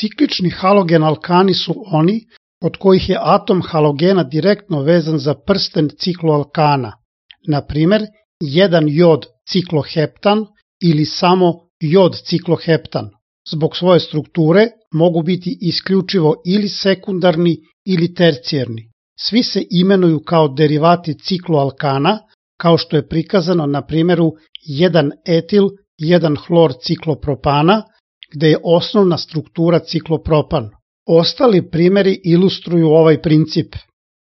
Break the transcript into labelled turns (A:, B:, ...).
A: Ciklični halogen alkani su oni od kojih je atom halogena direktno vezan za prsten cikloalkana, na primer 1 jod cikloheptan ili samo jod cikloheptan. Zbog svoje strukture mogu biti isključivo ili sekundarni ili tercijarni. Svi se imenuju kao derivati cikloalkana, kao što je prikazano na primjeru 1 etil 1 hlor ciklopropana, gde je osnovna struktura ciklopropan. Ostali primjeri ilustruju ovaj princip.